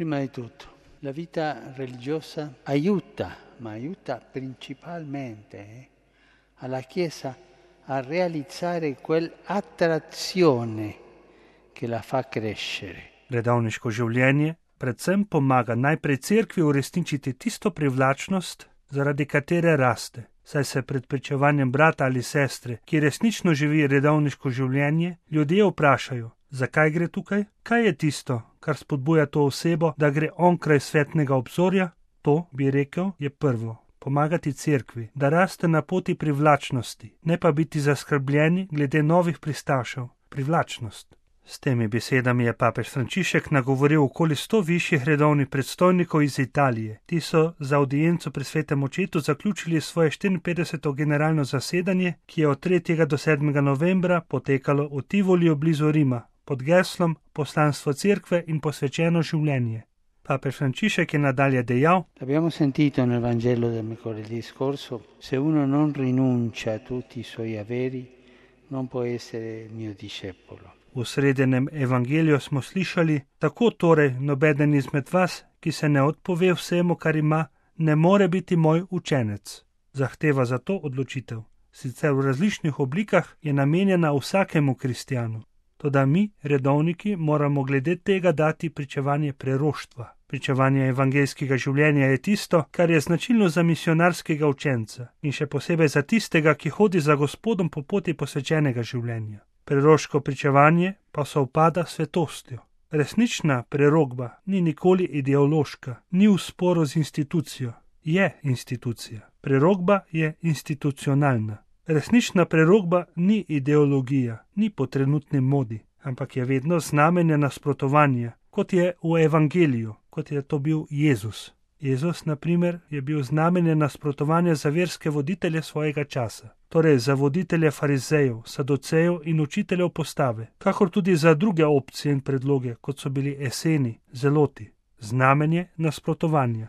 Prima di tutto, la vita religiosa aiuta, ma aiuta principalmente alla Chiesa a realizzare quell'attrazione che la fa crescere. Redovniško življenje predvsem pomaga najprej cerkvi uresničiti tisto privlačnost, zaradi katere raste, saj se pred pričevanjem brata ali sestre, ki resnično živi redovniško življenje, ljudje vprašajo, zakaj gre tukaj, kaj je tisto, kar spodbuja to osebo, da gre onkraj svetnega obzorja. To, bi rekel, je prvo. Pomagati cerkvi, da raste na poti privlačnosti, ne pa biti zaskrbljeni glede novih pristašev. Privlačnost. S temi besedami je papež Frančišek nagovoril okoli 100 višjih redovnih predstojnikov iz Italije. Ti so za audienco pri svetem očetu zaključili svoje 54. generalno zasedanje, ki je od 3. do 7. novembra potekalo v Tivoliju blizu Rima, pod geslom Poslanstvo cerkve in posvečeno življenje. Papež Frančišek je nadalje dejal: Abbiamo sentito nel Vangelo del mercoledì scorso, se uno non rinuncia a tutti i suoi averi, non può essere mio discepolo. V srednjem evangeliju smo slišali, tako torej nobeden izmed vas, ki se ne odpove vsemu, kar ima, ne more biti moj učenec. Zahteva za to odločitev, sicer v različnih oblikah, je namenjena vsakemu kristjanu. Toda mi, redovniki, moramo glede tega dati pričevanje preroštva. Pričevanje evangeljskega življenja je tisto, kar je značilno za misionarskega učenca in še posebej za tistega, ki hodi za Gospodom po poti posvečenega življenja. Preroško pričevanje pa sovpada s svetostjo. Resnična prerokba ni nikoli ideološka, ni v sporu z institucijo. Je institucija. Prerokba je institucionalna. Resnična prerokba ni ideologija, ni po trenutni modi, ampak je vedno znamenje nasprotovanja, kot je v evangeliju, kot je to bil Jezus. Jezus, na primer, je bil znamenje nasprotovanja za verske voditelje svojega časa, torej za voditelje farizejev, saducejev in učiteljev postave, kakor tudi za druge opcije in predloge, kot so bili eseni, zeloti, znamenje nasprotovanja.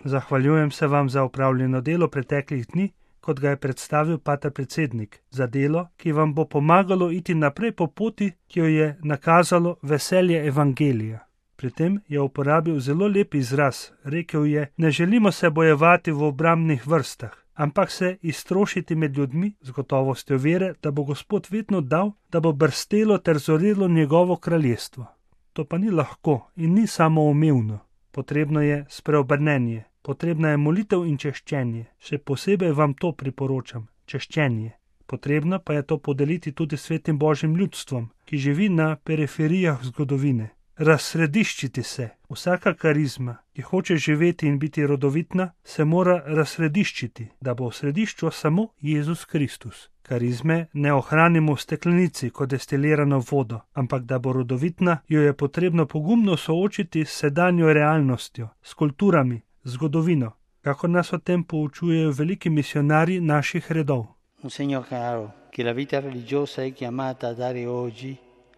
Zahvaljujem se vam za opravljeno delo preteklih dni, kot ga je predstavil pater predsednik, za delo, ki vam bo pomagalo iti naprej po poti, ki jo je nakazalo veselje evangelija. Pri tem je uporabil zelo lep izraz, rekel je: ne želimo se bojevati v obrambnih vrstah, ampak se iztrošiti med ljudmi z gotovostjo vere, da bo Gospod vedno dal, da bo brstelo ter zorelo njegovo kraljestvo. To pa ni lahko in ni samoumevno. Potrebno je spreobrnenje, potrebna je molitev in češčenje. Še posebej vam to priporočam, češčenje. Potrebno pa je to podeliti tudi svetim Božjim ljudstvom, ki živi na periferijah zgodovine. Razsrediščiti se. Vsaka karizma, ki hoče živeti in biti rodovitna, se mora razsrediščiti, da bo v središču samo Jezus Kristus. Karizme ne ohranimo v steklenici kot destilirano vodo, ampak da bo rodovitna, jo je potrebno pogumno soočiti s sedanjo realnostjo, s kulturami, zgodovino, kako nas o tem poučujejo veliki misionarji naših redov. Un segno chiaro che la vita religiosa è chiamata a dare oggi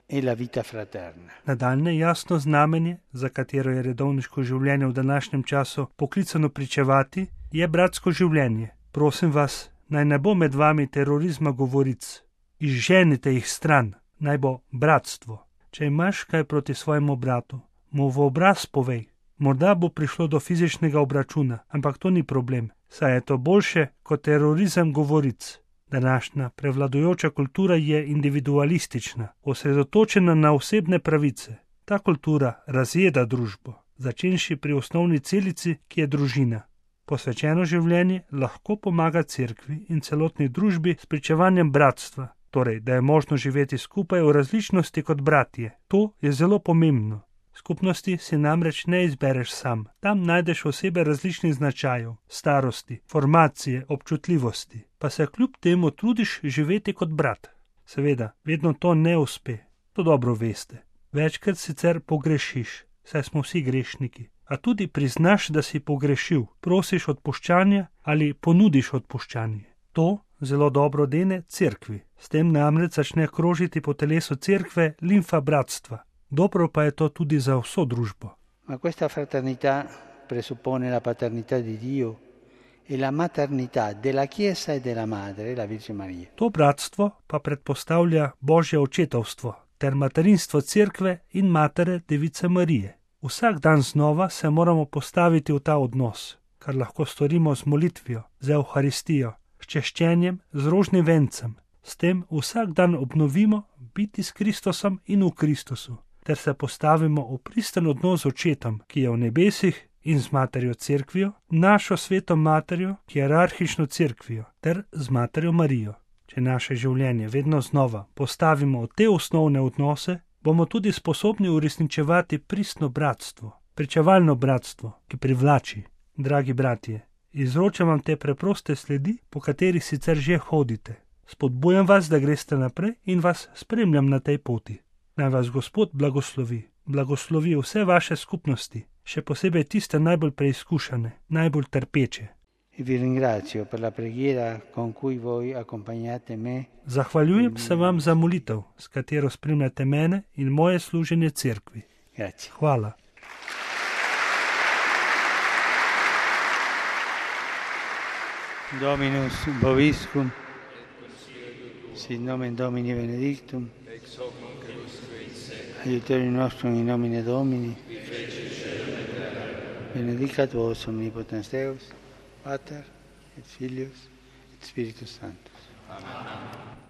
è la vita fraterna. Nadaljne jasno znamenje, za katero je redovniško življenje v današnjem času poklicano pričevati, je bratsko življenje. Prosim vas, naj ne bo med vami terorizma govoric. Izženite jih stran, naj bo bratstvo. Če imaš kaj proti svojemu bratu, mu v obraz povej. Morda bo prišlo do fizičnega obračuna, ampak to ni problem, saj je to boljše kot terorizem govoric. Današnja prevladujoča kultura je individualistična, osredotočena na osebne pravice. Ta kultura razjeda družbo, začenši pri osnovni celici, ki je družina. Posvečeno življenje lahko pomaga cerkvi in celotni družbi s pričevanjem bratstva, torej, da je možno živeti skupaj v različnosti kot bratje. To je zelo pomembno. Skupnosti si namreč ne izbereš sam. Tam najdeš osebe različnih značajev, starosti, formacije, občutljivosti, pa se kljub temu trudiš živeti kot brat. Seveda, vedno to ne uspe, to dobro veste. Večkrat sicer pogrešiš, saj smo vsi grešniki, a tudi priznaš, da si pogrešil, prosiš odpuščanja ali ponudiš odpuščanje. To zelo dobro dene cerkvi. S tem namreč začne krožiti po telesu cerkve limfa bratstva. Dobro pa je to tudi za vso družbo. Ma questa fraternità presuppone la paternità di Dio e la maternità della Chiesa e della Madre, la Virgine Maria. To bratstvo pa predpostavlja Božje očetovstvo, ter materinstvo Cerkve in Matere Device Marije. Vsak dan znova se moramo postaviti v ta odnos, kar lahko storimo z molitvijo, z Evharistijo, s češčenjem, z rožnim vencem. S tem vsak dan obnovimo biti s Kristusom in v Kristusu, ter se postavimo v pristen odnos z Očetom, ki je v nebesih, in z Materjo Cerkvijo, našo sveto Materjo, hierarhično Cerkvijo, ter z Materjo Marijo. Če naše življenje vedno znova postavimo v te osnovne odnose, bomo tudi sposobni uresničevati pristno bratstvo, pričevalno bratstvo, ki privlači. Dragi bratje, izročam vam te preproste sledi, po katerih sicer že hodite. Spodbujam vas, da greste naprej in vas spremljam na tej poti. Naj vas Gospod blagoslovi vse vaše skupnosti, še posebej tiste najbolj preizkušene, najbolj trpeče. Zahvaljujem se vam za molitev, s katero spremljate mene in moje služenje Cerkvi. Hvala. Dominus vobiscum, sit nomen Domini benedictum, aiutorium nostrum in nomine Domini, benedicat vos omnipotens Deus, Pater et Filius et Spiritus Sanctus. Amen.